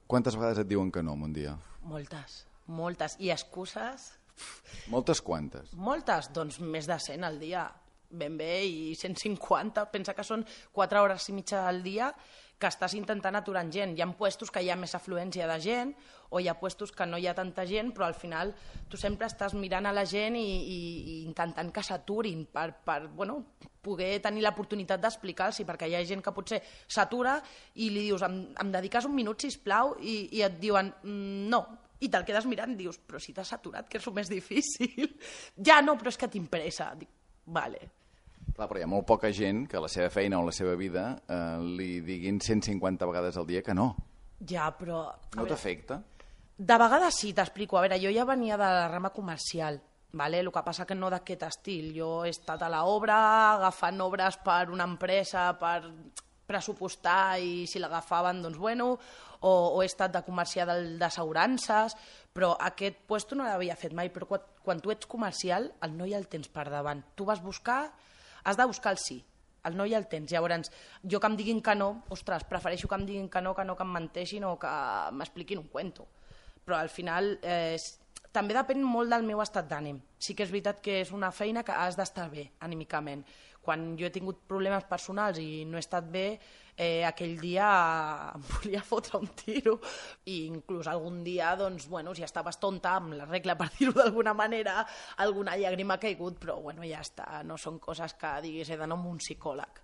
Quantes vegades et diuen que no en un dia? Moltes, moltes. I excuses? Moltes quantes? Moltes, doncs més de 100 al dia, ben bé, i 150. Pensa que són 4 hores i mitja al dia que estàs intentant aturar gent. Hi ha puestos que hi ha més afluència de gent o hi ha puestos que no hi ha tanta gent, però al final tu sempre estàs mirant a la gent i intentant que s'aturin per poder tenir l'oportunitat d'explicar-los, perquè hi ha gent que potser s'atura i li dius em dediques un minut, sisplau, i et diuen no, i te'l quedes mirant i dius però si t'has aturat, que és el més difícil. Ja no, però és que t'impressa. Dic, vale. Clar, però hi ha molt poca gent que a la seva feina o la seva vida li diguin 150 vegades al dia que no. Ja, però... No t'afecta? De vegades sí, t'explico. A veure, jo ja venia de la rama comercial, vale? El que passa que no d'aquest estil. Jo he estat a l'obra, agafant obres per una empresa, per pressupostar, i si l'agafaven, doncs bueno, o he estat de comercial d'assegurances, però aquest puesto no l'havia fet mai. Però quan tu ets comercial, el no hi ha el tens per davant. Tu vas buscar... Has de buscar el sí, el no i el tens. Llavors, jo que em diguin que no, ostres, prefereixo que em diguin que no que em menteixin o que m'expliquin un cuento. Però al final també depèn molt del meu estat d'ànim. Sí que és veritat que és una feina que has d'estar bé anímicament. Quan jo he tingut problemes personals i no he estat bé, aquell dia em volia fotre un tiro, i inclús algun dia, doncs, bueno, si estaves tonta, amb la regla, per dir-ho d'alguna manera, alguna llàgrima ha caigut, però bueno, ja està, no són coses que diguis he d'anar amb un psicòleg.